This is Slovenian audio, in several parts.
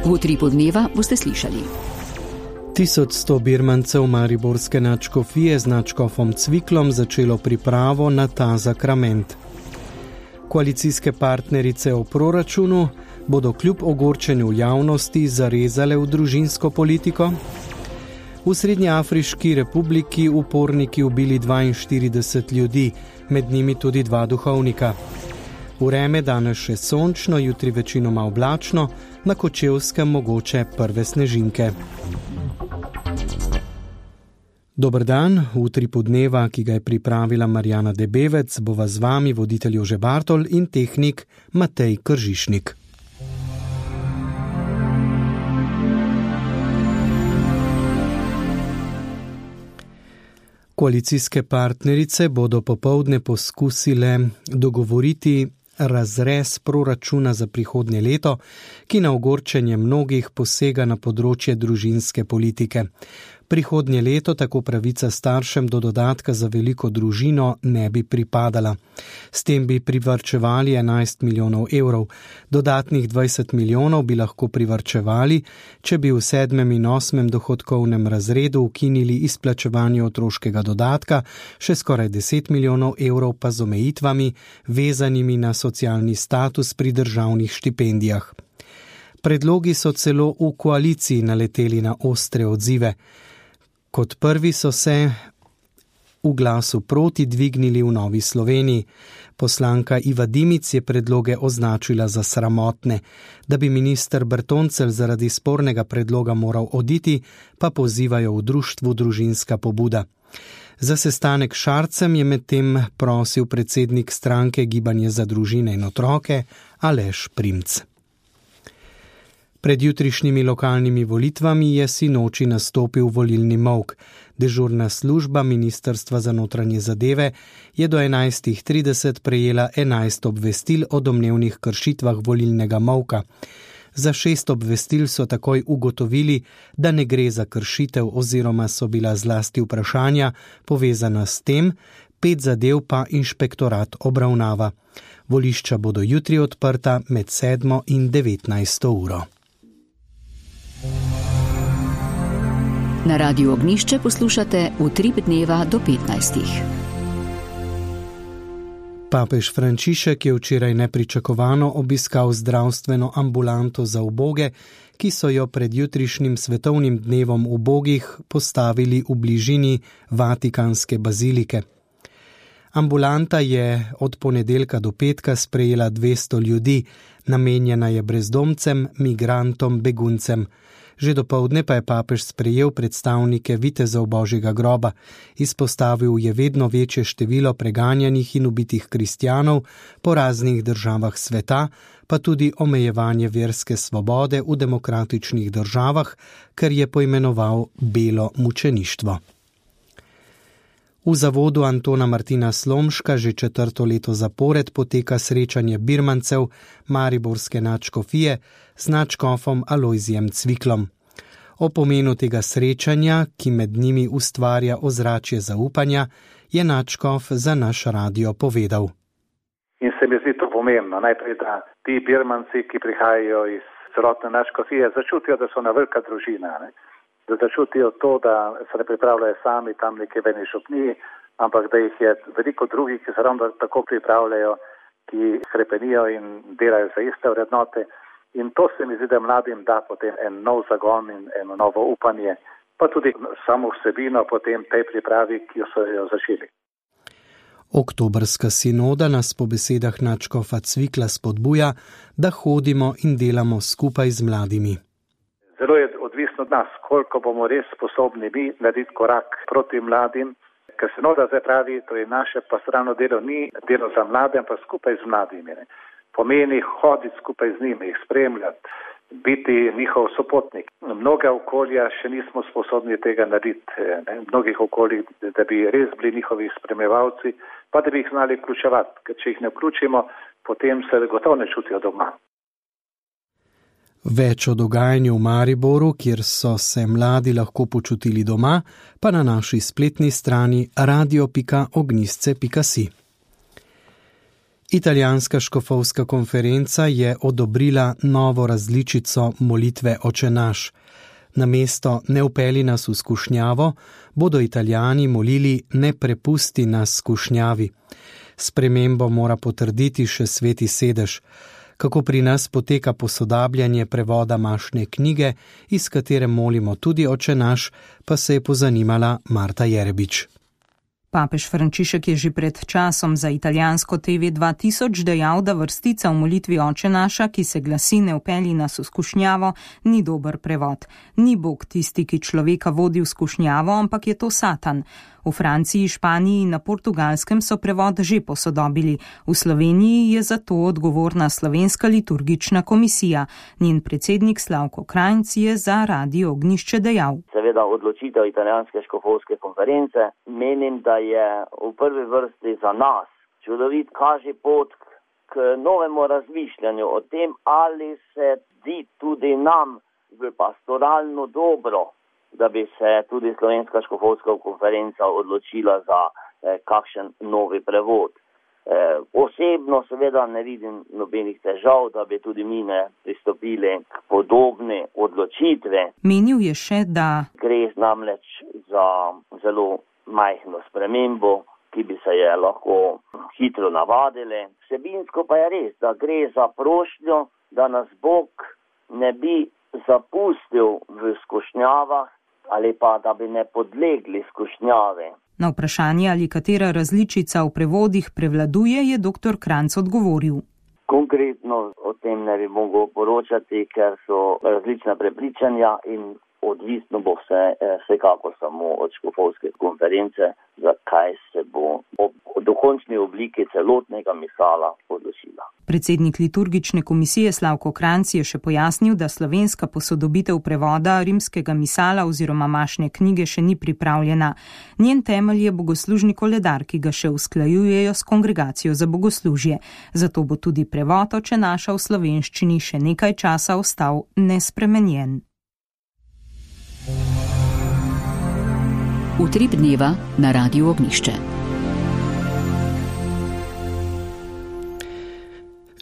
V Utripu dneva boste slišali. 1100 birmancev mariborske nadškofije z nadškofom Cviklom začelo pripravo na ta zakrament. Koalicijske partnerice o proračunu bodo kljub ogorčenju javnosti zarezale v družinsko politiko. V Srednjeafriški republiki uporniki ubili 42 ljudi, med njimi tudi 2 duhovnika. Vreme danes še sončno, jutri večinoma oblačno, na Kočevskem mogoče prve snežinke. Dober dan, v Utripu dneva, ki ga je pripravila Marjana Debevec, bova z vami voditelj Jože Bartol in tehnik Matej Kržišnik. Koalicijske partnerice bodo popoldne poskusile dogovoriti razrez proračuna za prihodnje leto, ki na ogorčenje mnogih posega na področje družinske politike. Prihodnje leto tako pravica staršem do dodatka za veliko družino ne bi pripadala. S tem bi privarčevali 11 milijonov evrov. Dodatnih 20 milijonov bi lahko privarčevali, če bi v 7. in 8. dohodkovnem razredu ukinili izplačevanje otroškega dodatka, še skoraj 10 milijonov evrov pa z omejitvami, vezanimi na socialni status pri državnih štipendijah. Predlogi so celo v koaliciji naleteli na ostre odzive. Kot prvi so se v glasu proti dvignili v Novi Sloveniji. Poslanka Iva Dimic je predloge označila za sramotne. Da bi minister Bertoncelj zaradi spornega predloga moral oditi, pa pozivajo v društvu Družinska pobuda. Za sestanek s Šarcem je medtem prosil predsednik stranke Gibanje za družine in otroke Aleš Primc. Pred jutrišnjimi lokalnimi volitvami je sinoči nastopil volilni molk. Dežurna služba Ministrstva za notranje zadeve je do 11.30 prejela 11 obvestil o domnevnih kršitvah volilnega molka. Za 6 obvestil so takoj ugotovili, da ne gre za kršitev oziroma so bila zlasti vprašanja povezana s tem, 5 zadev pa inšpektorat obravnava. Volišča bodo jutri odprta med 7. in 19. uro. Na Radiu Ognjišče poslušate Utrip dneva do 15. Papež Frančišek je včeraj nepričakovano obiskal zdravstveno ambulanto za uboge, ki so jo pred jutrišnjim svetovnim dnevom ubogih postavili v bližini Vatikanske bazilike. Ambulanta je od ponedeljka do petka sprejela 200 ljudi, namenjena je brezdomcem, migrantom, beguncem. Že dopoldne pa je papež sprejel predstavnike vitezov Božjega groba. Izpostavil je vedno večje število preganjanih in ubitih kristjanov po raznih državah sveta, pa tudi omejevanje verske svobode v demokratičnih državah, kar je poimenoval belo mučeništvo. V zavodu Antona Martina Slomška že 4. leto zapored poteka srečanje birmancev mariborske nadškofije z nadškofom Alojzijem Cviklom. O pomenu tega srečanja, ki med njimi ustvarja ozračje zaupanja, je nadškof za naš radio povedal. In se mi zdi to pomembno, najprej, da ti birmanci, ki prihajajo iz celotne nadškofije, začutijo, da so na velika družina, ne? Da začutijo to, da se ne pripravljajo sami tam nekje v eni župniji, ampak da jih je veliko drugih, ki se ravno tako pripravljajo, ki hrepenijo in delajo za iste vrednote. In to se mi zdi, da mladim da potem en nov zagon in eno novo upanje, pa tudi samo vsebino potem tej pripravi, ki so jo začeli. Oktobrska sinoda nas po besedah nadškofa Cvikla spodbuja, da hodimo in delamo skupaj z mladimi. Zelo je odvisno od nas, koliko bomo res sposobni mi narediti korak proti mladim, ker sinoda zdaj pravi, to je naše pastoralno delo, ni delo za mlade, ampak skupaj z mladimi. Ne. Pomeni hoditi skupaj z njimi, jih spremljati, biti njihov sopotnik. Mnoga okolja še nismo sposobni tega narediti, ne. Mnogih okolij, da bi res bili njihovi spremljevalci, pa da bi jih znali vključevati, ker če jih ne vključimo, potem se gotovo ne čutijo doma. Več o dogajanju v Mariboru, kjer so se mladi lahko počutili doma, pa na naši spletni strani radio.ognjisce.si. Italijanska škofovska konferenca je odobrila novo različico molitve Oče naš. Namesto ne vpelji nas v skušnjavo, bodo Italijani molili ne prepusti nas skušnjavi. Spremembo mora potrditi še Sveti sedež. Kako pri nas poteka posodabljanje prevoda mašne knjige, iz katere molimo tudi Oče naš, pa se je pozanimala Marta Jerebič. Papež Frančišek je že pred časom za italijansko TV 2000 dejal, da vrstica v molitvi Oče naša, ki se glasi ne vpelji nas v skušnjavo, ni dober prevod. Ni Bog tisti, ki človeka vodi v skušnjavo, ampak je to Satan. V Franciji, Španiji in na Portugalskem so prevod že posodobili. V Sloveniji je za to odgovorna Slovenska liturgična komisija. Njen predsednik Slavko Krajnc je za Radio Ognjišče dejal. Seveda odločitev italijanske škofovske konference menim, da je v prvi vrsti za nas čudovit kaže pot k novemu razmišljanju o tem, ali se zdi tudi nam v pastoralno dobro, da bi se tudi slovenska škofovska konferenca odločila za kakšen novi prevod. Osebno seveda ne vidim nobenih težav, da bi tudi mi ne pristopili k podobne odločitve. Menil je še, da gre namreč za zelo majhno spremembo, ki bi se je lahko hitro navadili. Vsebinsko pa je res, da gre za prošnjo, da nas Bog ne bi zapustil v skušnjavah ali pa da bi ne podlegli skušnjave. Na vprašanje, ali katera različica v prevodih prevladuje, je dr. Krajnc odgovoril. Konkretno o tem ne bi mogel poročati, ker so različna prepričanja in odvisno bo vsekako samo od škofovske konference, zakaj se bo v dokončni obliki celotnega misala odločila. Predsednik liturgične komisije Slavko Krajnc je še pojasnil, da slovenska posodobitev prevoda rimskega misala oziroma mašne knjige še ni pripravljena. Njen temelj je bogoslužni koledar, ki ga še usklajujejo s Kongregacijo za bogoslužje. Zato bo tudi prevod Oče naša v slovenščini še nekaj časa ostal nespremenjen. Utrip dneva na Radiu Ognjišče.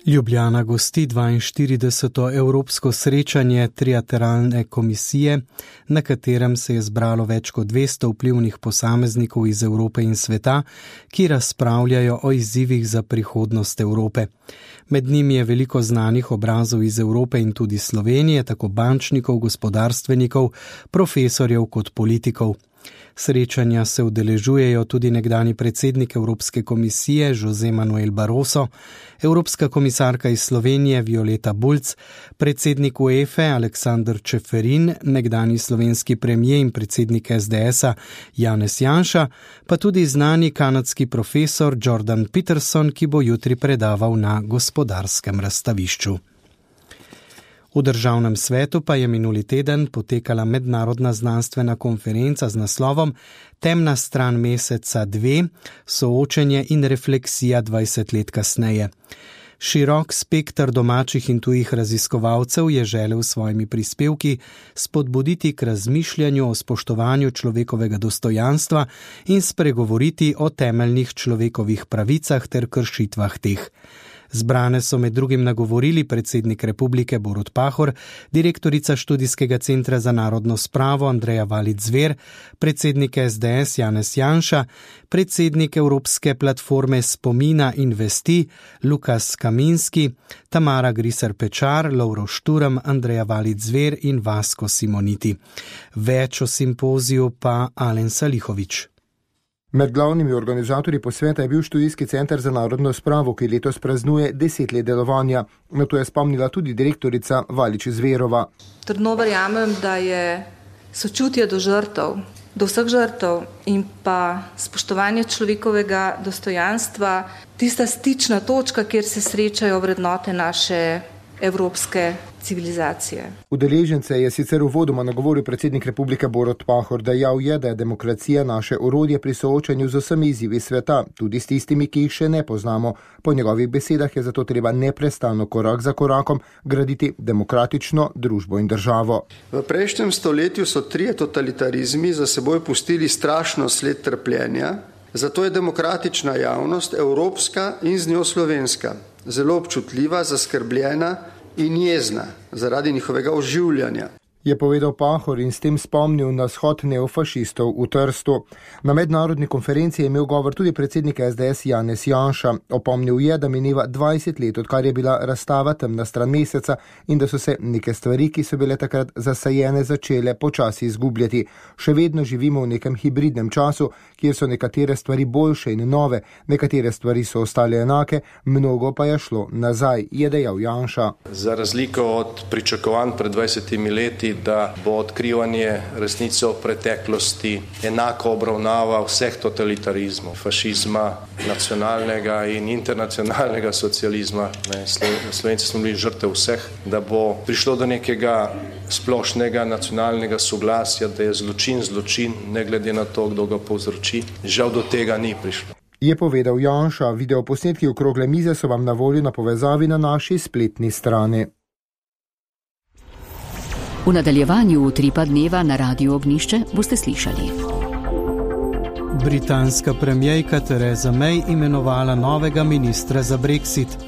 Ljubljana gosti 42. evropsko srečanje trilateralne komisije, na katerem se je zbralo več kot 200 vplivnih posameznikov iz Evrope in sveta, ki razpravljajo o izzivih za prihodnost Evrope. Med njimi je veliko znanih obrazov iz Evrope in tudi Slovenije, tako bančnikov, gospodarstvenikov, profesorjev kot politikov. Srečanja se udeležujejo tudi nekdanji predsednik Evropske komisije José Manuel Barroso, evropska komisarka iz Slovenije Violeta Bulc, predsednik UEFA Aleksander Čeferin, nekdanji slovenski premier in predsednik SDS-a Janez Janša, pa tudi znani kanadski profesor Jordan Peterson, ki bo jutri predaval na gospodarskem razstavišču. V Državnem svetu pa je minuli teden potekala mednarodna znanstvena konferenca z naslovom Temna stran meseca 2, soočenje in refleksija 20 let kasneje. Širok spekter domačih in tujih raziskovalcev je želel s svojimi prispevki spodbuditi k razmišljanju o spoštovanju človekovega dostojanstva in spregovoriti o temeljnih človekovih pravicah ter kršitvah teh. Zbrane so med drugim nagovorili predsednik Republike Borut Pahor, direktorica Študijskega centra za narodno spravo Andreja Valič-Zver, predsednik SDS Janez Janša, predsednik Evropske platforme spomina in vesti Lukas Kaminski, Tamara Griser-Pečar, Lovro Šturm, Andreja Valič-Zver in Vasko Simoniti. Več o simpoziju pa Alen Salihovič. Med glavnimi organizatorji posveta je bil Študijski center za narodno spravo, ki letos praznuje 10 let delovanja. Na to je spomnila tudi direktorica Valič-Zverova. Trdno verjamem, da je sočutje do žrtev, do vseh žrtev in pa spoštovanje človekovega dostojanstva tista stična točka, kjer se srečajo vrednote naše evropske civilizacije. Udeležence je sicer uvodoma nagovoril predsednik Republike Borut Pahor, dejal je, da je demokracija naše orodje pri soočanju z vsemi izzivi sveta, tudi s tistimi, ki jih še ne poznamo. Po njegovih besedah je zato treba neprestano korak za korakom graditi demokratično družbo in državo. V prejšnjem stoletju so 3 totalitarizmi za seboj pustili strašno sled trpljenja, Zato je demokratična javnost, evropska in z njo slovenska, zelo občutljiva, zaskrbljena in jezna zaradi njihovega oživljanja. Je povedal Pahor in s tem spomnil na shod neofašistov v Trstu. Na mednarodni konferenci je imel govor tudi predsednik SDS Janez Janša. Opomnil je, da mineva 20 let, odkar je bila razstava Temna stran meseca in da so se neke stvari, ki so bile takrat zasajene, začele počasi izgubljati. Še vedno živimo v nekem hibridnem času, kjer so nekatere stvari boljše in nove, nekatere stvari so ostale enake, mnogo pa je šlo nazaj, je dejal Janša. Za razliko od pričakovanj pred 20 leti, da bo odkrivanje resnice o preteklosti enako obravnava vseh totalitarizmov, fašizma, nacionalnega in internacionalnega socializma. Slovenci smo bili žrtev vseh, da bo prišlo do nekega splošnega nacionalnega soglasja, da je zločin, ne glede na to, kdo ga povzroči. Žal do tega ni prišlo. Je povedal Janša, videoposnetki okrogle mize so vam na voljo na povezavi na naši spletni strani. V nadaljevanju Utripa dneva na Radiu Ognišče boste slišali. Britanska premierka Theresa May imenovala novega ministra za Brexit.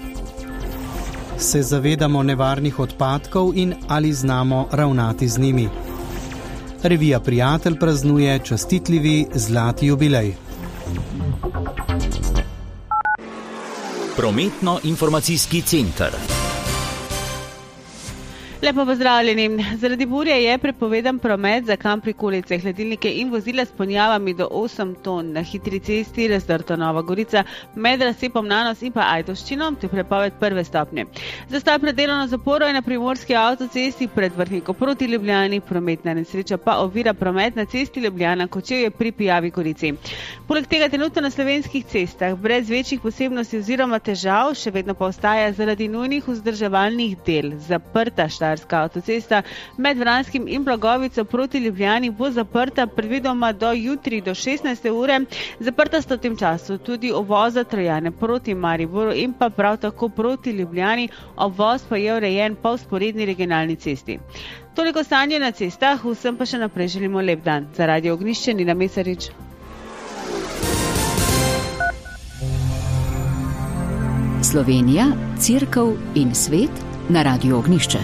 Se zavedamo nevarnih odpadkov in ali znamo ravnati z njimi? Revija Prijatelj praznuje častitljivi zlati jubilej. Prometno-informacijski center. Lepo pozdravljeni. Zaradi burje je prepovedan promet za kamp prikolice, hladilnike in vozila s ponjavami do 8 ton na hitri cesti Razdrto Nova Gorica med razcepom Nanos in pa Ajdovščino, to je prepoved prve stopnje. Zastoj pred delovno zaporo je na primorski avtocesti pred Vrhniko proti Ljubljani, prometna nesreča pa ovira promet na cesti Ljubljana Kočevje pri Pijavi Gorici. Poleg tega trenutno na slovenskih cestah brez večjih posebnosti oziroma težav še vedno pa ostaja zaradi nujnih vzdrževalnih del zaprta Štajerska avtocesta med Vranskim in Blagovico proti Ljubljani bo zaprta predvidoma do jutri do 16. ure. Zaprta sta v tem času tudi obvoza Trojane proti Mariboru in pa prav tako proti Ljubljani, obvoz pa je urejen po vzporedni regionalni cesti. Toliko stanje na cestah, vsem pa še naprej želimo lep dan. Za Radio Ognišče Nina Mesarič. Slovenija, Cerkev in svet na Radiu Ognišče.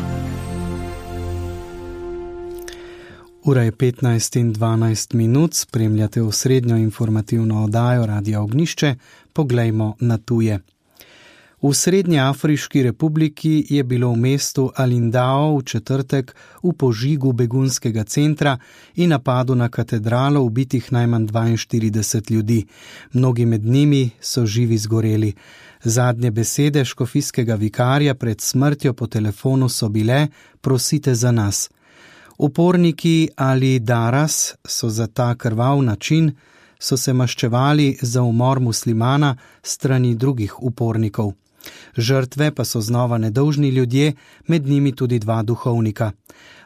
Ura je 15 in 12 minut, spremljate osrednjo informativno oddajo Radia Ognišče, poglejmo na tuje. V Srednji Afriški republiki je bilo v mestu Alindao v četrtek v požigu begunskega centra in napadu na katedralo ubitih najmanj 42 ljudi. Mnogi med njimi so živi zgoreli. Zadnje besede škofijskega vikarja pred smrtjo po telefonu so bile: prosite za nas. Uporniki ali Daras so za ta krvav način so se maščevali za umor muslimana strani drugih upornikov. Žrtve pa so znova nedolžni ljudje, med njimi tudi 2 duhovnika.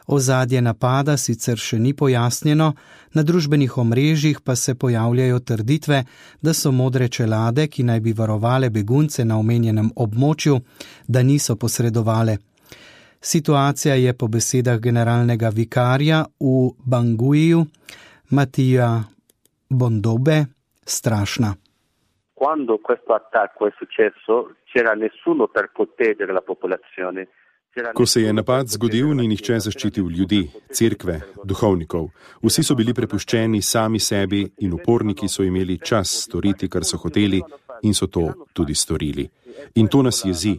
Ozadje napada sicer še ni pojasnjeno, na družbenih omrežjih pa se pojavljajo trditve, da so modre čelade, ki naj bi varovale begunce na omenjenem območju, da niso posredovale. Situacija je po besedah generalnega vikarja v Banguiju, Matija Bondobe, strašna. Quando questo attacco è successo, c'era nessuno per proteggere la popolazione. Ko se je napad zgodil, ni nihče zaščitil ljudi, cerkve, duhovnikov. Vsi so bili prepuščeni sami sebi in uporniki so imeli čas storiti, kar so hoteli, in so to tudi storili. In to nas jezi.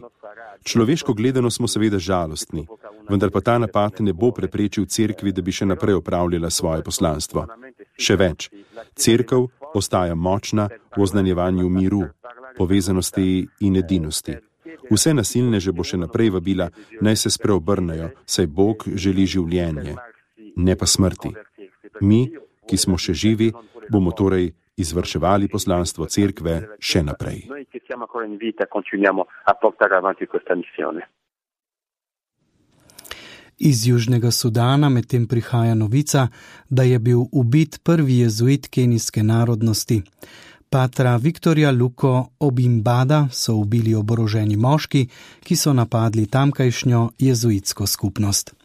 Človeško gledano smo seveda žalostni, vendar pa ta napad ne bo preprečil cerkvi, da bi še naprej opravljala svoje poslanstvo. Še več, cerkev ostaja močna v oznanjevanju miru, povezanosti in edinosti. Vse nasilneže bo še naprej vabila, naj se spreobrnejo, saj Bog želi življenje, ne pa smrti. Mi, ki smo še živi, bomo torej izvrševali poslanstvo cerkve še naprej. Iz Južnega Sudana medtem prihaja novica, da je bil ubit prvi jezuit kenijske narodnosti. Patra Viktorja Luko Obimbada so ubili oboroženi moški, ki so napadli tamkajšnjo jezuitsko skupnost.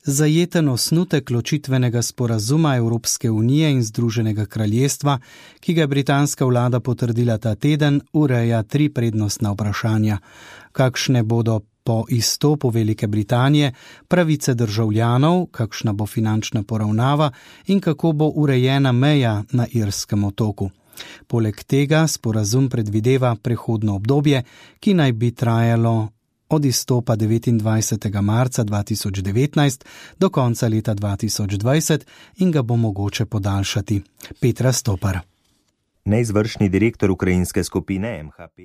Zajeten osnutek ločitvenega sporazuma Evropske unije in Združenega kraljestva, ki ga je britanska vlada potrdila ta teden, ureja 3 prednostna vprašanja. Kakšne bodo po izstopu Velike Britanije pravice državljanov, kakšna bo finančna poravnava in kako bo urejena meja na Irskem otoku. Poleg tega sporazum predvideva prehodno obdobje, ki naj bi trajalo od izstopa 29. marca 2019 do konca leta 2020 in ga bo mogoče podaljšati. Petra Stopar. Neizvršni direktor ukrajinske skupine MHP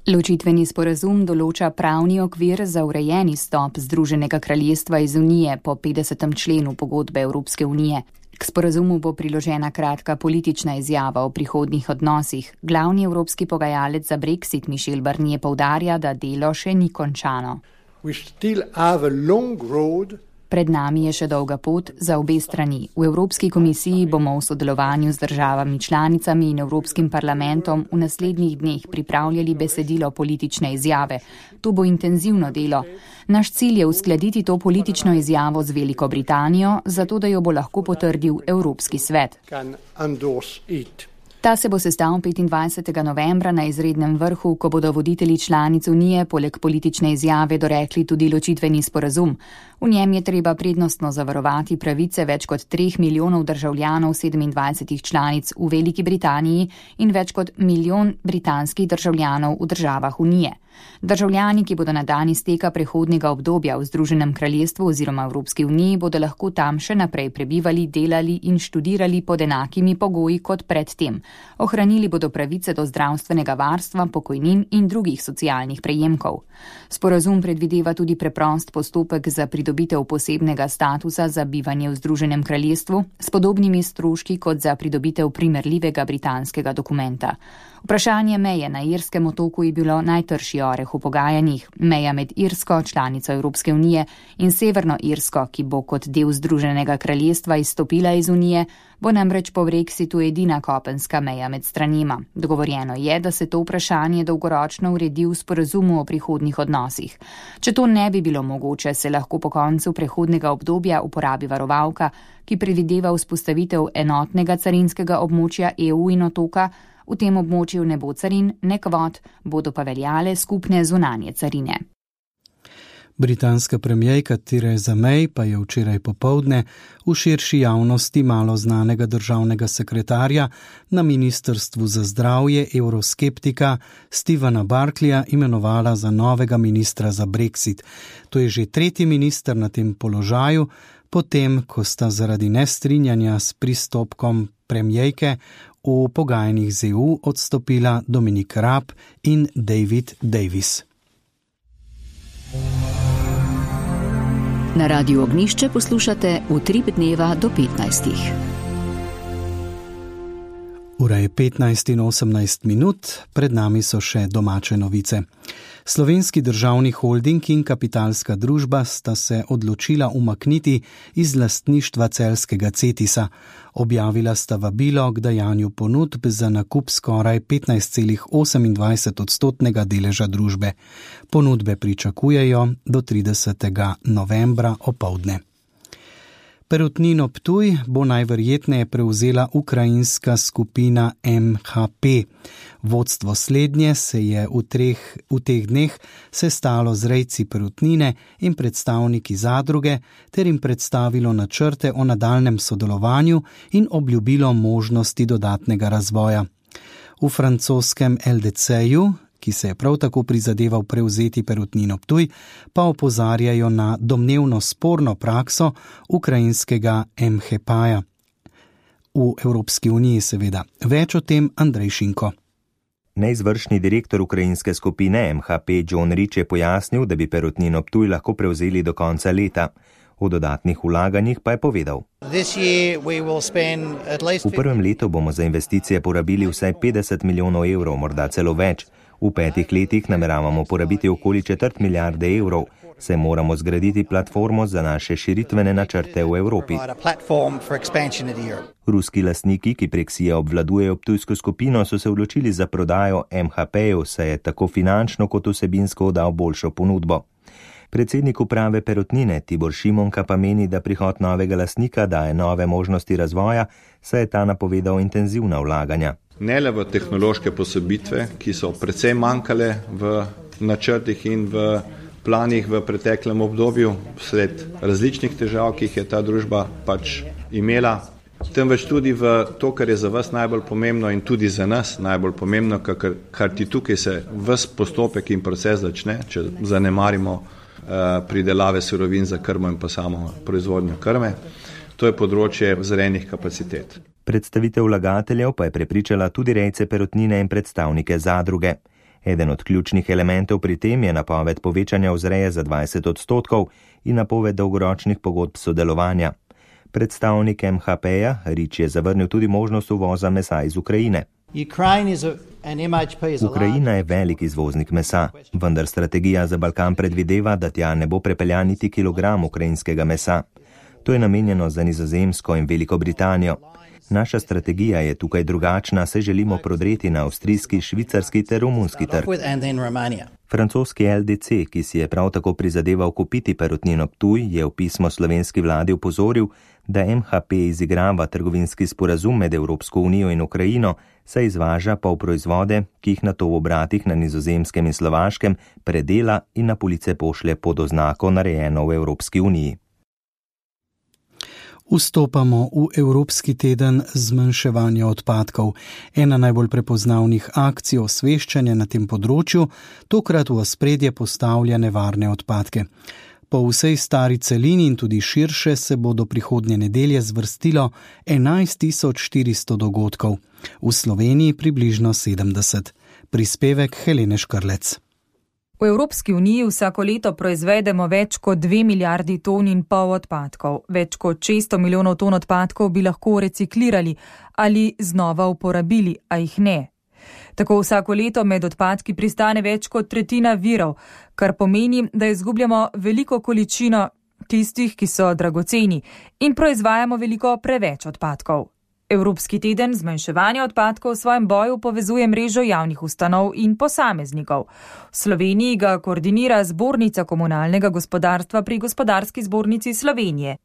Ločitveni sporazum določa pravni okvir za urejen izstop Združenega kraljestva iz Unije po 50. členu pogodbe Evropske unije. K sporazumu bo priložena kratka politična izjava o prihodnjih odnosih. Glavni evropski pogajalec za Brexit Michel Barnier poudarja, da delo še ni končano. Pred nami je še dolga pot za obe strani. V Evropski komisiji bomo v sodelovanju z državami članicami in Evropskim parlamentom v naslednjih dneh pripravljali besedilo politične izjave. To bo intenzivno delo. Naš cilj je uskladiti to politično izjavo z Veliko Britanijo, zato da jo bo lahko potrdil Evropski svet. Ta se bo sestal 25. novembra na izrednem vrhu, ko bodo voditelji članic Unije poleg politične izjave dorekli tudi ločitveni sporazum. V njem je treba prednostno zavarovati pravice več kot 3 milijonov državljanov 27 članic v Veliki Britaniji in več kot 1 milijon britanskih državljanov v državah Unije. Državljani, ki bodo na dan izteka prehodnega obdobja v Združenem kraljestvu oziroma Evropski uniji, bodo lahko tam še naprej prebivali, delali in študirali pod enakimi pogoji kot predtem. Ohranili bodo pravice do zdravstvenega varstva, pokojnin in drugih socialnih prejemkov. Sporazum predvideva tudi preprost postopek za pridobitev posebnega statusa za bivanje v Združenem kraljestvu s podobnimi stroški kot za pridobitev primerljivega britanskega dokumenta. Vprašanje meje na Irskem otoku je bilo najtrši oreh v pogajanjih. Meja med Irsko, članico Evropske unije, in Severno Irsko, ki bo kot del Združenega kraljestva izstopila iz unije, bo namreč po Brexitu edina kopenska meja med stranima. Dogovorjeno je, da se to vprašanje dolgoročno uredi v sporazumu o prihodnjih odnosih. Če to ne bi bilo mogoče, se lahko po koncu prehodnega obdobja uporabi varovalka, ki predvideva vzpostavitev enotnega carinskega območja EU in otoka. V tem območju ne bo carin, ne kvot, bodo pa veljale skupne zunanje carine. Britanska premijerka Theresa May pa je včeraj popoldne v širši javnosti malo znanega državnega sekretarja na Ministrstvu za zdravje evroskeptika Stevena Barclaya imenovala za novega ministra za Brexit. To je že 3. minister na tem položaju, potem ko sta zaradi nestrinjanja s pristopkom premijerke v pogajanjih z EU odstopila Dominic Raab in David Davis. Na Radiu Ognišče poslušate Utrip dneva do 15. Ura je 15 in 18 minut, pred nami so še domače novice. Slovenski državni holding in kapitalska družba sta se odločila umakniti iz lastništva celjskega Cetisa. Objavila sta vabilo k dajanju ponudb za nakup skoraj 15,28% deleža družbe. Ponudbe pričakujejo do 30. novembra opoldne. Perutnino Ptuj bo najverjetneje prevzela ukrajinska skupina MHP. Vodstvo slednje se je v teh dneh sestalo z rejci perutnine in predstavniki zadruge ter jim predstavilo načrte o nadaljnjem sodelovanju in obljubilo možnosti dodatnega razvoja. V francoskem LDC-ju, ki se je prav tako prizadeval prevzeti Perutnino Ptuj, pa opozarjajo na domnevno sporno prakso ukrajinskega MHP-ja. V Evropski uniji seveda. Več o tem Andrej Šinko. Neizvršni direktor ukrajinske skupine MHP John Rich je pojasnil, da bi Perutnino Ptuj lahko prevzeli do konca leta. O dodatnih vlaganjih pa je povedal. V prvem letu bomo za investicije porabili vsaj 50 milijonov evrov, morda celo več. V 5 letih nameravamo porabiti okoli 1/4 milijarde evrov. saj moramo zgraditi platformo za naše širitvene načrte v Evropi. Ruski lastniki, ki prek SIA obvladujejo ptujsko skupino, so se odločili za prodajo MHP-ju, saj je tako finančno kot vsebinsko dal boljšo ponudbo. Predsednik uprave Perutnine Tibor Šimonka pa meni, da prihod novega lastnika daje nove možnosti razvoja, saj je ta napovedal intenzivna vlaganja. Ne le v tehnološke posodobitve, ki so precej manjkale v načrtih in v planih v preteklem obdobju, sled različnih težav, ki jih je ta družba pač imela, temveč tudi v to, kar je za vas najbolj pomembno in tudi za nas najbolj pomembno, kar ti tukaj se ves postopek in proces začne, če zanemarimo pridelave surovin za krmo in pa samo proizvodnjo krme. To je področje vzrejnih kapacitet. Predstavitev vlagateljev pa je prepričala tudi rejce Perutnine in predstavnike zadruge. Eden od ključnih elementov pri tem je napoved povečanja vzreje za 20% in napoved dolgoročnih pogodb sodelovanja. Predstavnik MHP-ja Rič je zavrnil tudi možnost uvoza mesa iz Ukrajine. Ukrajina je velik izvoznik mesa, vendar strategija za Balkan predvideva, da tja ne bo prepeljan niti kilogram ukrajinskega mesa. To je namenjeno za Nizozemsko in Veliko Britanijo. Naša strategija je tukaj drugačna, saj želimo prodreti na avstrijski, švicarski ter romunski trg. Francoski LDC, ki si je prav tako prizadeval kupiti Perutnino Ptuj, je v pismo slovenski vladi upozoril, da MHP izigrava trgovinski sporazum med Evropsko unijo in Ukrajino, saj izvaža pol proizvode, ki jih nato v obratih na Nizozemskem in Slovaškem predela in na police pošlje pod oznako narejeno v Evropski uniji. Vstopamo v Evropski teden zmanjševanja odpadkov. Ena najbolj prepoznavnih akcij osveščanja na tem področju tokrat v ospredje postavlja nevarne odpadke. Po vsej stari celini in tudi širše se bo do prihodnje nedelje zvrstilo 11.400 dogodkov. V Sloveniji približno 70. Prispevek Helene Škrlec. V Evropski uniji vsako leto proizvedemo več kot 2 milijardi ton in pol odpadkov. Več kot 600 milijonov ton odpadkov bi lahko reciklirali ali znova uporabili, a jih ne. Tako vsako leto med odpadki pristane več kot tretjina virov, kar pomeni, da izgubljamo veliko količino tistih, ki so dragoceni, in proizvajamo veliko preveč odpadkov. Evropski teden zmanjševanja odpadkov v svojem boju povezuje mrežo javnih ustanov in posameznikov. V Sloveniji ga koordinira Zbornica komunalnega gospodarstva pri Gospodarski zbornici Slovenije.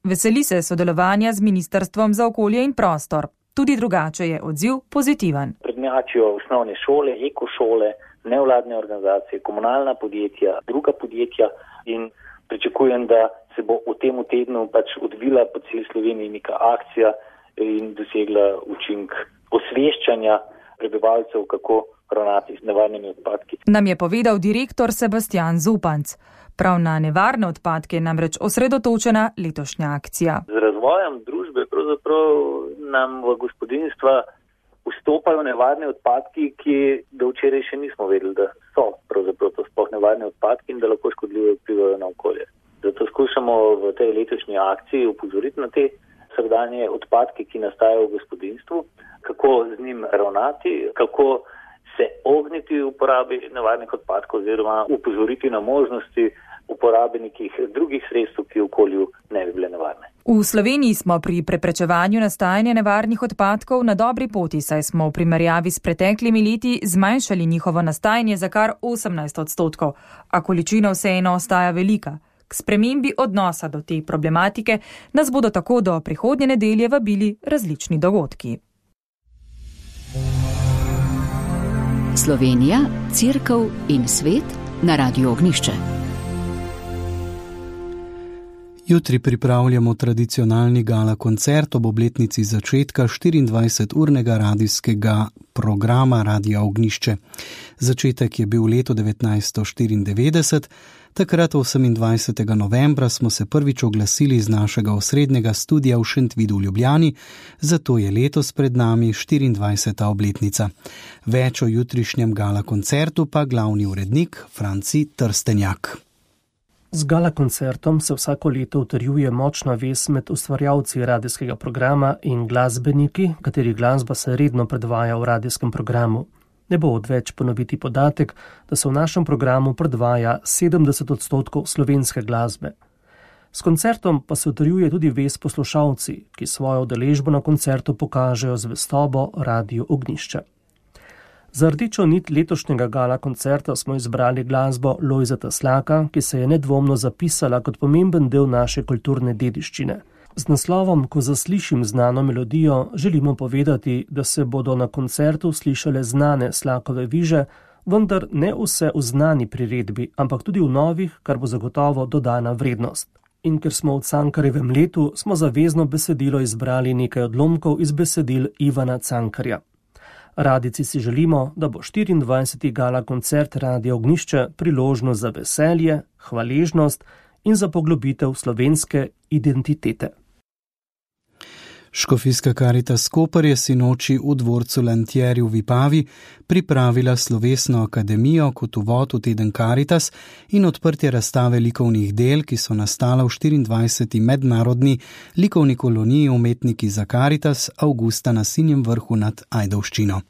Veseli se sodelovanja z Ministrstvom za okolje in prostor. Tudi drugače je odziv pozitiven. Prednjačijo osnovne šole, ekošole, nevladne organizacije, komunalna podjetja, druga podjetja in pričakujem, da se bo v tem tednu pač odvila po celi Sloveniji neka akcija in dosegla učink osveščanja prebivalcev, kako ravnati z nevarnimi odpadki. Nam je povedal direktor Sebastian Zupanc. Prav na nevarne odpadke je namreč osredotočena letošnja akcija. Z razvojem družbe pravzaprav nam v gospodinjstva vstopajo nevarni odpadki, ki do včeraj še nismo vedeli, da so pravzaprav to sploh nevarni odpadki in da lahko škodljivo vplivajo na okolje. Zato skušamo v tej letošnji akciji upozoriti na te vsakdanje odpadke, ki nastajajo v gospodinjstvu, kako z njim ravnati, kako se ogniti uporabi nevarnih odpadkov oziroma upozoriti na možnosti uporabe nekih drugih sredstev, ki v okolju ne bi bile nevarne. V Sloveniji smo pri preprečevanju nastajanja nevarnih odpadkov na dobri poti, saj smo v primerjavi s preteklimi leti zmanjšali njihovo nastajanje za kar 18%, a količina vseeno ostaja velika. K spremembi odnosa do te problematike nas bodo tako do prihodnje nedelje vabili različni dogodki. Slovenija, Cerkev in svet na Radiu Ognjišče. Jutri pripravljamo tradicionalni gala koncert ob obletnici začetka 24-urnega radijskega programa Radia Ognjišče. Začetek je bil leto 1994. Takrat 28. novembra smo se prvič oglasili iz našega osrednjega studia v Šentvidu v Ljubljani, zato je letos pred nami 24. obletnica. Več o jutrišnjem gala koncertu pa glavni urednik Franci Trstenjak. Z gala koncertom se vsako leto utrjuje močna vez med ustvarjalci radijskega programa in glasbeniki, katerih glasba se redno predvaja v radijskem programu. Ne bo odveč ponoviti podatek, da se v našem programu predvaja 70% slovenske glasbe. S koncertom pa se utrjuje tudi vez poslušalci, ki svojo udeležbo na koncertu pokažejo zvestobo Radiu Ognjišče. Za rdečo nit letošnjega gala koncerta smo izbrali glasbo Lojzeta Slaka, ki se je nedvomno zapisala kot pomemben del naše kulturne dediščine. Z naslovom Ko zaslišim znano melodijo želimo povedati, da se bodo na koncertu slišale znane Slakove viže, vendar ne vse v znani priredbi, ampak tudi v novih, kar bo zagotovo dodana vrednost. In ker smo v Cankarjevem letu, smo za vezno besedilo izbrali nekaj odlomkov iz besedil Ivana Cankarja. Radici si želimo, da bo 24. gala koncert Radia Ognjišče priložnost za veselje, hvaležnost in za poglobitev slovenske identitete. Škofijska Karitas Koper je sinoči v dvorcu Lantjeri v Vipavi pripravila slovesno akademijo kot uvod v teden Karitas in odprtje razstave likovnih del, ki so nastala v 24. mednarodni likovni koloniji umetniki za Karitas avgusta na Sinjem vrhu nad Ajdovščino.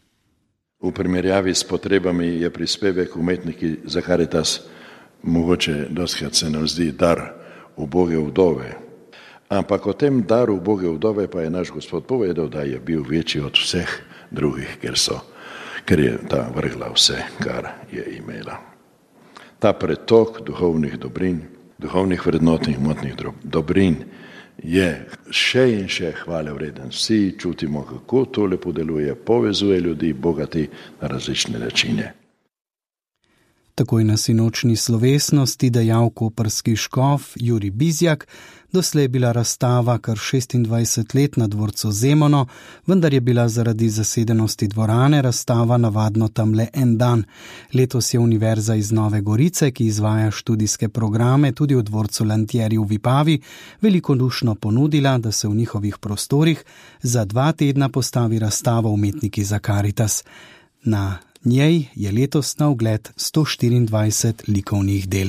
V primerjavi s potrebami je prispevek umetniki za Karitas mogoče dostikrat se nam zdi dar uboge vdove. Ampak o tem daru uboge vdove pa je naš Gospod povedal, da je bil večji od vseh drugih, ker je ta vrgla vse, kar je imela. Ta pretok duhovnih dobrin, duhovnih vrednot in hmotnih dobrin je še in še hvale vreden. Vsi čutimo, kako to lepo deluje, povezuje ljudi, bogati na različne načine. Takoj na sinočni slovesnosti dejal koprski škof Jurij Bizjak, doslej je bila razstava kar 26 let na dvorcu Zemono, vendar je bila zaradi zasedenosti dvorane razstava navadno tam le en dan. Letos je Univerza iz Nove Gorice, ki izvaja študijske programe tudi v dvorcu Lantjeri v Vipavi, velikodušno ponudila, da se v njihovih prostorih za 2 tedna postavi razstava umetniki za Karitas. Na njej je letos na ogled 124 likovnih del.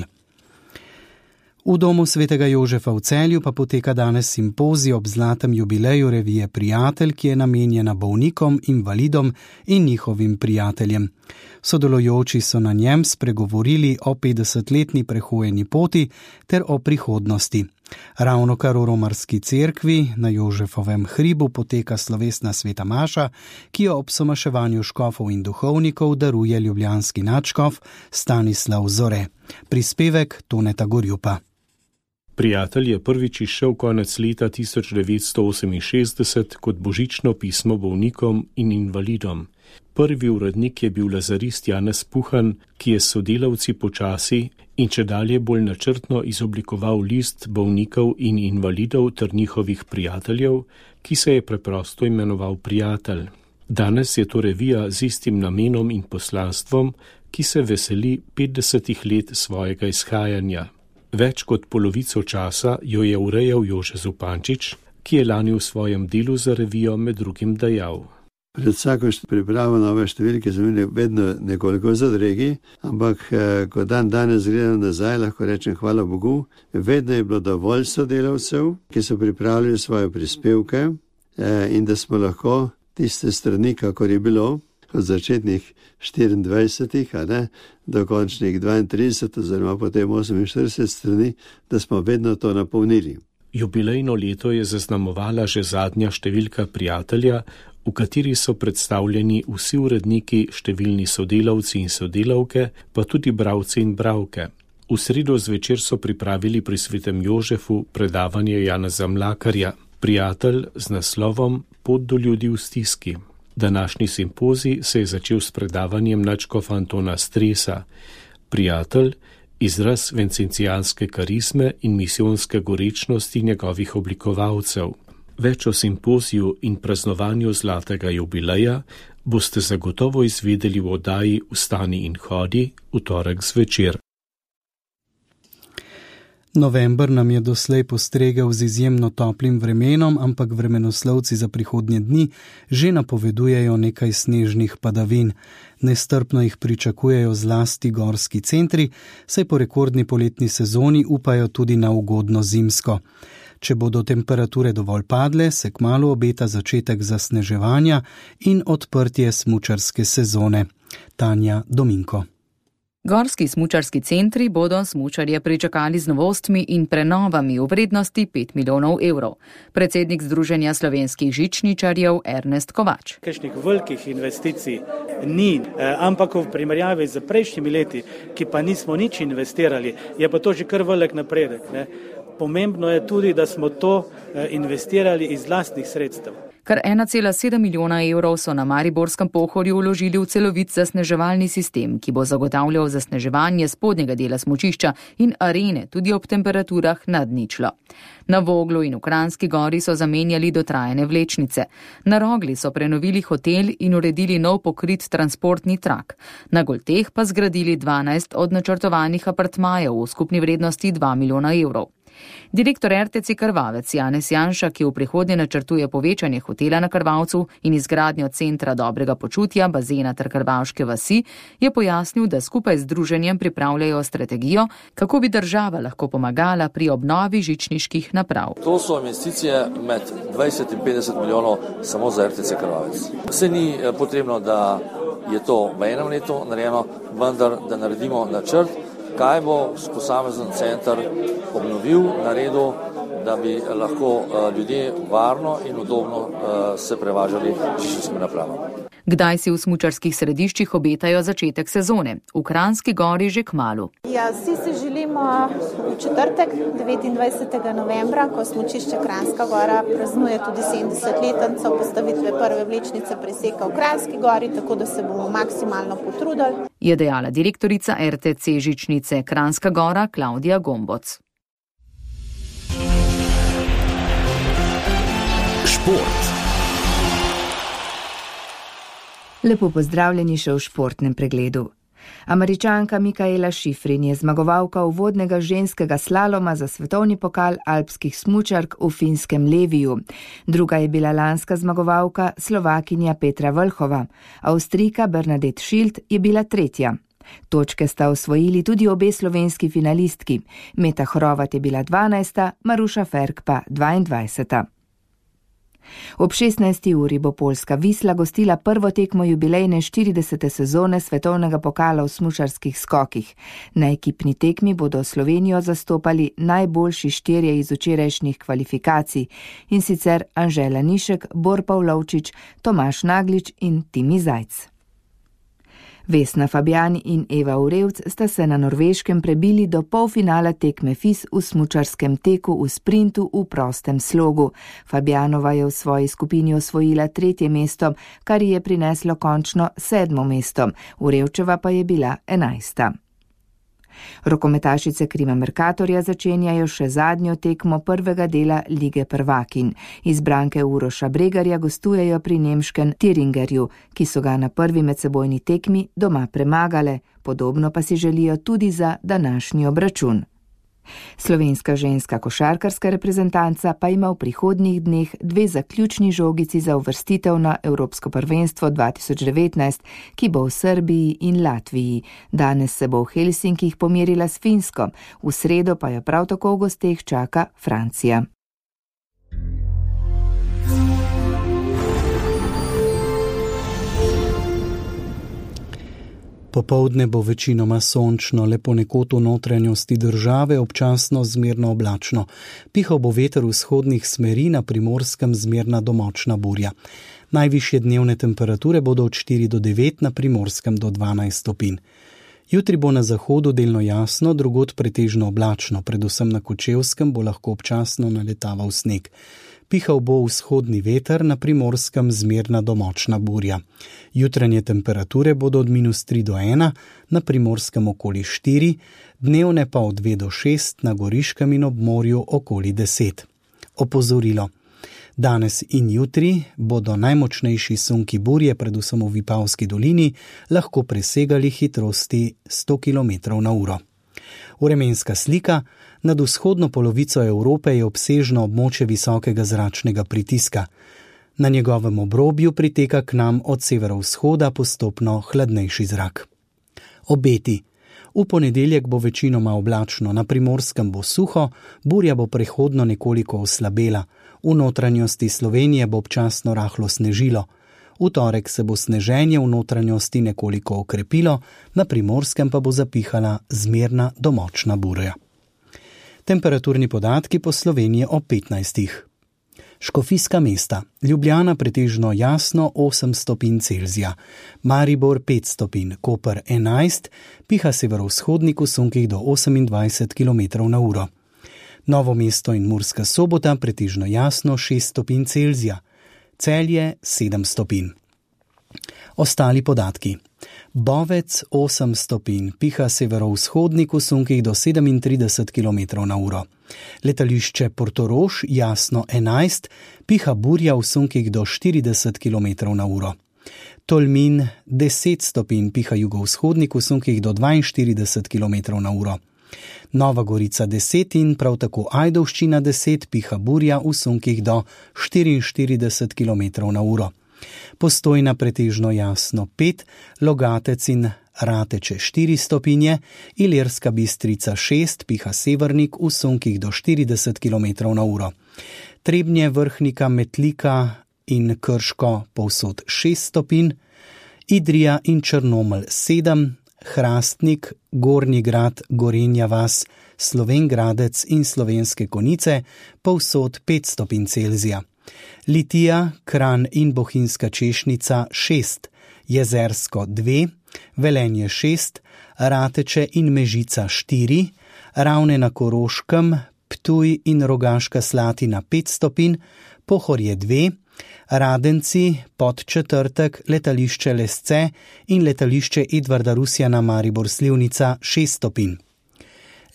V domu svetega Jožefa v Celju pa poteka danes simpozij ob zlatem jubileju revije Prijatelj, ki je namenjena bolnikom, invalidom in njihovim prijateljem. Sodelujoči so na njem spregovorili o 50-letni prehojeni poti ter o prihodnosti. Ravnokar v romarski cerkvi na Jožefovem hribu poteka slovesna sveta maša, ki jo ob somaševanju škofov in duhovnikov daruje ljubljanski nadškof Stanislav Zore. Prispevek Toneta Gorjupa. Prijatelj je prvič izšel konec leta 1968 kot božično pismo bolnikom in invalidom. Prvi urednik je bil lazarist Janez Puhan, ki je s sodelavci počasi in čedalje bolj načrtno izoblikoval list bolnikov in invalidov ter njihovih prijateljev, ki se je preprosto imenoval Prijatelj. Danes je to revija z istim namenom in poslanstvom, ki se veseli 50 let svojega izhajanja. Več kot polovico časa jo je urejal Jože Zupančič, ki je lani v svojem delu za revijo med drugim dejal. Pred vsako pripravo nove številke so imeli vedno nekoliko zadregi, ampak ko danes gledam nazaj, lahko rečem hvala Bogu, vedno je bilo dovolj sodelavcev, ki so pripravili svoje prispevke in da smo lahko tiste strani, kakor je bilo, od začetnih 24, do končnih 32 oziroma potem 48 strani, da smo vedno to napolnili. Jubilejno leto je zaznamovala že zadnja številka Prijatelja, v kateri so predstavljeni vsi uredniki, številni sodelavci in sodelavke, pa tudi bralci in bralke. V sredo zvečer so pripravili pri svetem Jožefu predavanje Janeza Mlakarja, Prijatelj z naslovom Pot do ljudi v stiski. Današnji simpozij se je začel s predavanjem nadškofa Antona Stresa. Prijatelj, izraz vencencijanske karizme in misijonske gorečnosti njegovih oblikovalcev. Več o simpoziju in praznovanju zlatega jubileja boste zagotovo izvedeli v oddaji Vstani in hodi v torek zvečer. November nam je doslej postregel z izjemno toplim vremenom, ampak vremenoslovci za prihodnje dni že napovedujejo nekaj snežnih padavin. Nestrpno jih pričakujejo zlasti gorski centri, saj po rekordni poletni sezoni upajo tudi na ugodno zimsko. Če bodo temperature dovolj padle, se kmalu obeta začetek zasneževanja in odprtje smučarske sezone. Tanja Dominko. Gorski smučarski centri bodo smučarje pričakali z novostmi in prenovami v vrednosti 5 milijonov evrov. Predsednik Združenja slovenskih žičničarjev Ernest Kovač. Kakšnih velikih investicij ni, ampak v primerjavi z prejšnjimi leti, ki pa nismo nič investirali, je pa to že kar velik napredek. Pomembno je tudi, da smo to investirali iz lastnih sredstev. Kar 1,7 milijona evrov so na Mariborskem Pohorju vložili v celovit zasneževalni sistem, ki bo zagotavljal zasneževanje spodnjega dela smučišča in arene tudi ob temperaturah nad ničlo. Na Voglu in v Kranjski Gori so zamenjali dotrajane vlečnice. Na Rogli so prenovili hotel in uredili nov pokrit transportni trak. Na Golteh pa zgradili 12 od načrtovanih apartmajev v skupni vrednosti 2 milijona evrov. Direktor RTC Krvavec Janez Janša, ki v prihodnje načrtuje povečanje hotela na Krvavcu in izgradnjo centra dobrega počutja, bazena ter Krvavške vasi, je pojasnil, da skupaj z združenjem pripravljajo strategijo, kako bi država lahko pomagala pri obnovi žičniških naprav. To so investicije med 20 in 50 milijonov samo za RTC Krvavec. Vse ni potrebno, da je to v enem letu narejeno, vendar da naredimo načrt, kaj bo posamezen center obnovil, naredil, da bi lahko ljudje varno in udobno se prevažali žičniškimi napravami. Kdaj si v smučarskih središčih obetajo začetek sezone? V Kranjski Gori že kmalu. Ja, vsi si želimo v četrtek, 29. novembra, ko smučišče Kranjska Gora praznuje tudi 70-letnico postavitve prve vlečnice preseka v Kranjski Gori, tako da se bomo maksimalno potrudili. Je dejala direktorica RTC žičnice Kranjska Gora Klaudija Gomboc. Šport. Lepo pozdravljeni še v športnem pregledu. Američanka Mikaela Šifrin je zmagovalka uvodnega ženskega slaloma za svetovni pokal alpskih smučark v finskem Leviju. Druga je bila lanska zmagovalka Slovakinja Petra Vlhova. Avstrijka Bernadette Schild je bila tretja. Točke sta osvojili tudi obe slovenski finalistki. Meta Hrovat je bila 12., Maruša Ferk pa 22. Ob 16. uri bo poljska Visla gostila prvo tekmo jubilejne 40. sezone svetovnega pokala v smučarskih skokih. Na ekipni tekmi bodo Slovenijo zastopali najboljši 4 iz včerajšnjih kvalifikacij, in sicer Anžela Nišek, Bor Pavlovčič, Tomaž Naglič in Timi Zajc. Vesna Fabjani in Eva Urevc sta se na Norveškem prebili do polfinala tekme FIS v smučarskem teku v sprintu v prostem slogu. Fabjanova je v svoji skupini osvojila 3. mesto, kar ji je prineslo končno 7. mesto. Urevčeva pa je bila 11. Rokometašice Krima Merkatorja začenjajo še zadnjo tekmo prvega dela Lige prvakinj. Izbranke Uroša Bregarja gostujejo pri nemškem Tiringerju, ki so ga na prvi medsebojni tekmi doma premagale, podobno pa si želijo tudi za današnji obračun. Slovenska ženska košarkarska reprezentanca pa ima v prihodnjih dneh 2 zaključni žogici za uvrstitev na Evropsko prvenstvo 2019, ki bo v Srbiji in Latviji. Danes se bo v Helsinkih pomerila s Finsko, v sredo pa jo prav tako v gosteh čaka Francija. Popoldne bo večinoma sončno, le ponekod v notranjosti države občasno zmerno oblačno. Pihal bo veter vzhodnih smeri, na Primorskem zmerna do močna burja. Najvišje dnevne temperature bodo od 4 do 9, na Primorskem do 12 stopinj. Jutri bo na zahodu delno jasno, drugod pretežno oblačno, predvsem na Kočevskem bo lahko občasno naletaval sneg. Pihal bo vzhodni veter, na Primorskem zmerna do močna burja. Jutranje temperature bodo od -3 do 1, na Primorskem okoli 4, dnevne pa od 2 do 6, na Goriškem in ob morju okoli 10. Opozorilo. Danes in jutri bodo najmočnejši sunki burje, predvsem v Vipavski dolini, lahko presegali hitrosti 100 km/h. Vremenska slika. Nad vzhodno polovico Evrope je obsežno območje visokega zračnega pritiska. Na njegovem obrobju priteka k nam od severovzhoda postopno hladnejši zrak. Obeti. V ponedeljek bo večinoma oblačno, na Primorskem bo suho, burja bo prehodno nekoliko oslabela. V notranjosti Slovenije bo občasno rahlo snežilo. V torek se bo sneženje v notranjosti nekoliko okrepilo, na Primorskem pa bo zapihala zmerna do močna burja. Temperaturni podatki po Sloveniji o 15. Škofijska mesta. Ljubljana pretežno jasno 8 stopinj Celzija, Maribor 5 stopinj, Koper 11, piha severovzhodnik v sunkih do 28 km/h. Novo mesto in Murska Sobota pretežno jasno 6 stopinj Celzija, Celje 7 stopinj. Ostali podatki. Bovec 8 stopinj, piha severovzhodnik v sunkih do 37 km/h. Letališče Portorož jasno 11, piha burja v sunkih do 40 km/h. Tolmin 10 stopinj, piha jugovzhodnik v sunkih do 42 km/h. Nova Gorica 10 in prav tako Ajdovščina 10, piha burja v sunkih do 44 km/h. Postojna pretežno jasno 5, Logatec in Rateče 4 stopinje, Ilirska Bistrica 6, piha severnik v sunkih do 40 km/h. Trebnje, Vrhnika, Metlika in Krško povsod 6 stopinj, Idrija in Črnomelj 7, Hrastnik, Gornji Grad, Gorenja vas, Slovenj Gradec in Slovenske Konjice povsod 5 stopinj Celzija. Litija, Kranj in Bohinjska Češnica 6, Jezersko 2, Velenje 6, Rateče in Mežica 4, Ravne na Koroškem, Ptuj in Rogaška Slatina 5 stopinj, Pohorje 2, Radenci, Podčetrtek, letališče Lesce in letališče Edvarda Rusjana Maribor Slivnica 6 stopinj.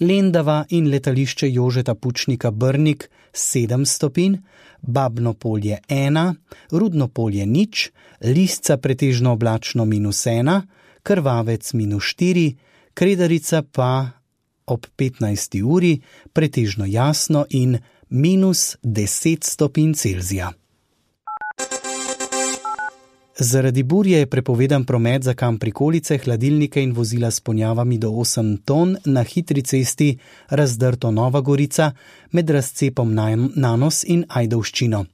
Lendava in letališče Jožeta Pučnika Brnik 7 stopinj, Babno Polje 1, Rudno Polje 0, Lisca pretežno oblačno -1, Krvavec -4, Kredarica pa ob 15. uri pretežno jasno in -10 stopinj Celzija. Zaradi burje je prepovedan promet za kam prikolice, hladilnike in vozila s ponjavami do 8 ton na hitri cesti Razdrto Nova Gorica med razcepom Nanos in Ajdovščino.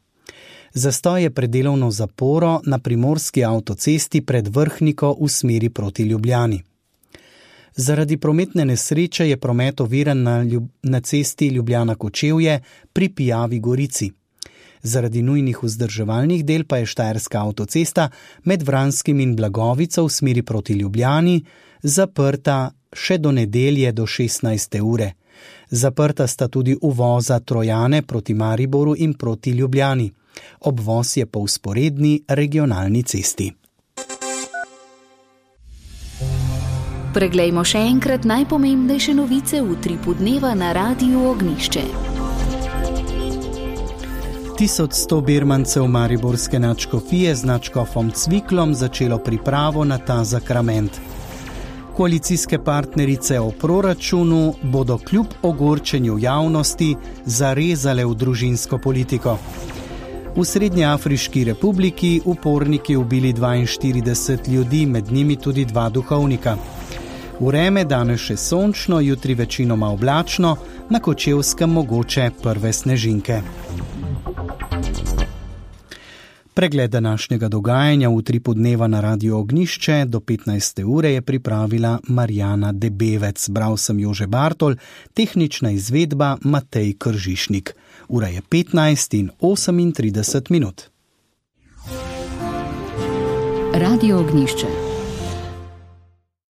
Zastoj je pred delovno zaporo na primorski avtocesti pred Vrhniko v smeri proti Ljubljani. Zaradi prometne nesreče je promet oviran na cesti Ljubljana-Kočevje pri Pijavi Gorici. Zaradi nujnih vzdrževalnih del pa je štajerska avtocesta med Vranskim in Blagovico v smeri proti Ljubljani zaprta še do nedelje do 16. ure. Zaprta sta tudi uvoza Trojane proti Mariboru in proti Ljubljani. Obvoz je po vzporedni regionalni cesti. Preglejmo še enkrat najpomembnejše novice v utripu dneva na Radiu Ognjišče. 1100 birmancev mariborske nadškofije z nadškofom Cviklom začelo pripravo na ta sakrament. Koalicijske partnerice o proračunu bodo kljub ogorčenju javnosti zarezale v družinsko politiko. V Srednjeafriški republiki uporniki ubili 42 ljudi, med njimi tudi 2 duhovnika. Vreme danes še sončno, jutri večinoma oblačno, na Kočevskem mogoče prve snežinke. Pregled današnjega dogajanja v utripu dneva na Radiu Ognjišče do 15. ure je pripravila Marjana Debevec. Bral sem Jože Bartol, tehnična izvedba Matej Kržišnik. Ura je 15:38 minut. Radio Ognjišče.